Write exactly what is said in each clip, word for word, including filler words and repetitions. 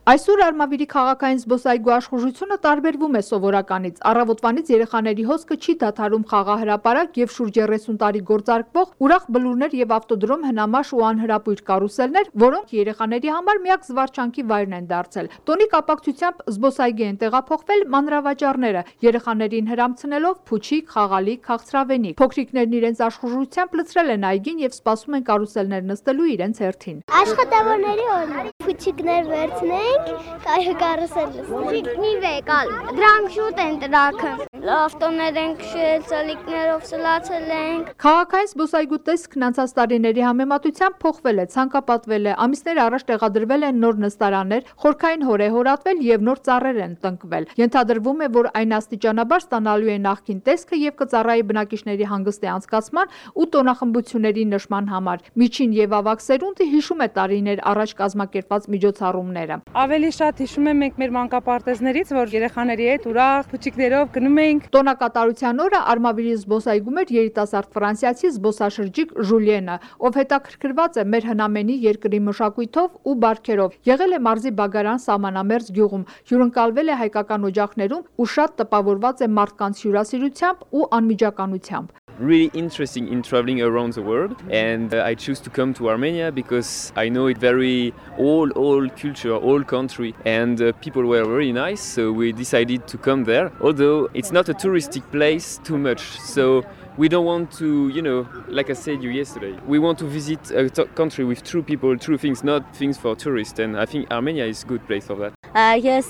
Այսօր Արմավիրի քաղաքային զբոսայգու աշխուժությունը տարբերվում է սովորականից։ Առավոտվանից երեխաների հոսքը չի դադարում խաղահրապարակ եւ շուրջ երեսուն տարի գործարկվող ուրախ բլուրներ եւ ավտոդրոմ հնամաշ ու անհրապույր կարուսելներ, որոնք երեխաների համար միակ զվարճանքի վայրն են դարձել։ Տոնի կապակցությամբ զբոսայգի են տեղափոխվել մանրավաճառները, երեխաներին հրամցնելով փուչիկ, խաղալիք, քաղցրավենիք։ Փոքրիկներն իրենց աշխուժությամբ լցրել են այգին եւ սպասում են կարուսելներ նստելու իրենց հերթին։ Աշխատավորների օրն փուչիկներ վերցնենք, կարուսել Փուչիկնի վեկալ, դրանք շուտ են տրաքը։ Ավտոներ ենք շել, ծալիկներով սլացել ենք։ Քաղաքային զբոսայգու տեսքն անցած տարիների համեմատությամբ փոխվել է, ցանկապատվել է, ամիսներ առաջ տեղադրվել են նոր նստարաններ, խորքային հոր է հորատվել եւ նոր ծառեր են տնկվել։ Ենթադրվում է, որ այն աստիճանաբար ստանալու է նախկին տեսքը եւ կծառայի բնակիչների հանգստի անցկացման ու տոնախմբությունների նշման համար։ Միջին եւ ավագ սերունդը հիշում է տարիներ առաջ կազմակերպված միջոցառումները։ Ավելի շատ հիշում եմ մենք մեր մանկապարտեզներից, որ երեխաների հետ ուրախ փուչիկներով գնում էինք։ Տոնակատարության օրը Արմավիրի զբոսայգում էր երիտասարդ ֆրանսիացի զբոսաշրջիկ Ժուլիենը, ով հետաքրքրված է մեր հնամենի երկրի մշակույթով ու բարքերով։ Եղել է մարզի Բագարան սահմանամերձ գյուղում, հյուրընկալվել է հայկական օջախներում ու շատ տպավորված է մարդկանց հյուրասիրությամբ ու անմիջականությամբ։ Really interesting in traveling around the world, and uh, I choose to come to Armenia because I know it very old, old culture, old country, and uh, people were very nice, so we decided to come there. Although it's not a touristic place too much, so we don't want to, you know, like I said you yesterday, we want to visit a t- country with true people, true things, not things for tourists, and I think Armenia is a good place for that. Ես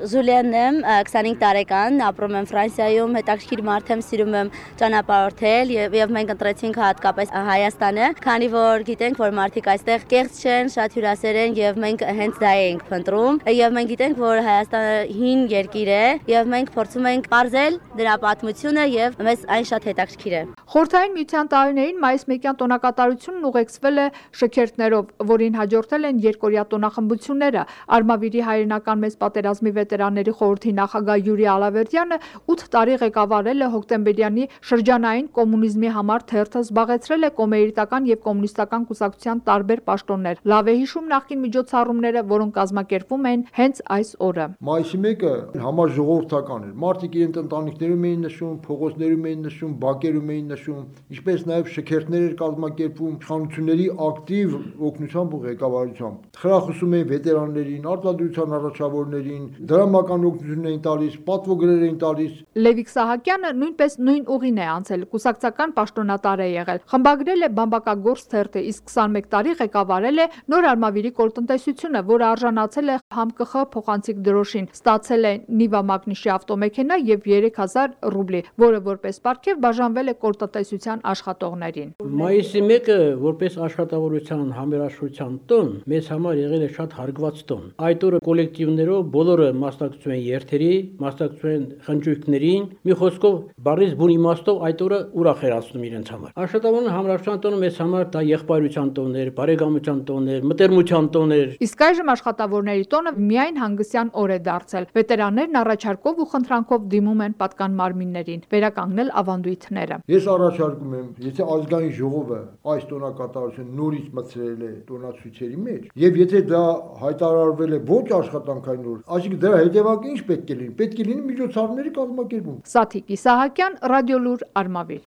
Ժուլիենն եմ, քսանհինգ տարեկան, ապրում եմ Ֆրանսիայում, հետաքրքիր մարդ եմ, սիրում եմ ճանապարհորդել եւ մենք ընտրեցինք հատկապես Հայաստանը, քանի որ գիտենք, որ մարդիկ այստեղ կեղծ չեն, շատ հյուրասեր են եւ մենք հենց դա ենք փնտրում եւ մենք գիտենք, որ Հայաստանը հին երկիր է եւ մենք փորձում ենք բարձել դրա պատմությունը եւ մեզ այն շատ հետաքրքիր է։ Խորհրդային միության տարիներին մայիսմեկյան տոնակատարությունն ուղեկցվել է շքերթներով, որին հաջորդել են երկօրյա տոնախմբությունները։ Արմավիրի հայրենական մեծ պատերազմի վետերանների խորհրդի նախագահ Յուրի Ալավերդյանը ութ տարի ղեկավարել է հոկտեմբերյանի շրջանային կոմունիզմի համար թերթը, զբաղեցրել է կոմերիտական եւ կոմունիստական կուսակցության տարբեր պաշտոններ։ Լավ է հիշում նախկին միջոցառումները, որոնք կազմակերպվում են հենց այս օրը։ Մայիսի մեկը համաժողովրդական էր։ Մարդիկ իրենց ընտանիքներում էին նշում, փողոցներում էին նշում, բակերում էին նշում, ինչպես նաև շքերթներ էր կազմակերպվում իշխանությունների ակտիվ օգնությամբ ու ղեկավարությամբ։ Խրախուսում էին վետերաններին, արտադրության առաջավորներին, դրամական օգնություն էին տալիս, պատվոգրեր էին տալիս։ Լևիկ Սահակյանը նույնպես նույն ուղին է անցել, կուսակցական պաշտոնատար է եղել։ Խմբագրել է բամբակագործ թերթը, իսկ քսանմեկ տարի ղեկավարել է Նոր Արմավիրի կոլտնտեսությունը, որը արժանացել է ՀԱՄԿԽ փոխանցիկ դրոշին, ստացել է Նիվա Մագնիշի ավտոմեքենա եւ երեք հազար ռուբլի, որը որպես պարգև բաժանվել է կոլտնտեսության աշխատողներին։ Մայիսի մեկը որպես աշխատավորության համերաշխության տոն մեզ համար եղել է շատ հարգված տոն։ Այդ օրը կոլեկտիվներով բոլորը մասնակցում են երթերի, մասնակցում են խնջույքներին, մի խոսքով բառից բուն իմաստով այդ օրը ուրախ էր անցնում իրենց համար։ Աշխատավորության համերաշխության տոնը մեզ համար դա եղբայրության տոն էր, բարեկամության տոն էր, մտերմության տոն էր։ Իսկ այժմ աշխատավորների տոնը միայն հանգստյան օր է դարձել։ Վետերաններն առաջարկով ու խնդրանքով դիմում են պատկան մարմիններին վերականգնել ավանդույթները։ Ես առաջարկում եմ, եթե ազգային ժողովը այս տոնակատարությունը նորից մտցրել է տոնացույցերի մեջ, եւ եթե դա հայտարարվել է ոչ աշխատանքային օր, այսինքն դրա հետևանքը ինչ պետք է լինի։ Պետք է լինի միջոցառումների կազմակերպում։ Սաթիկ Իսահակյան, Ռադիոլուր, Արմավիր։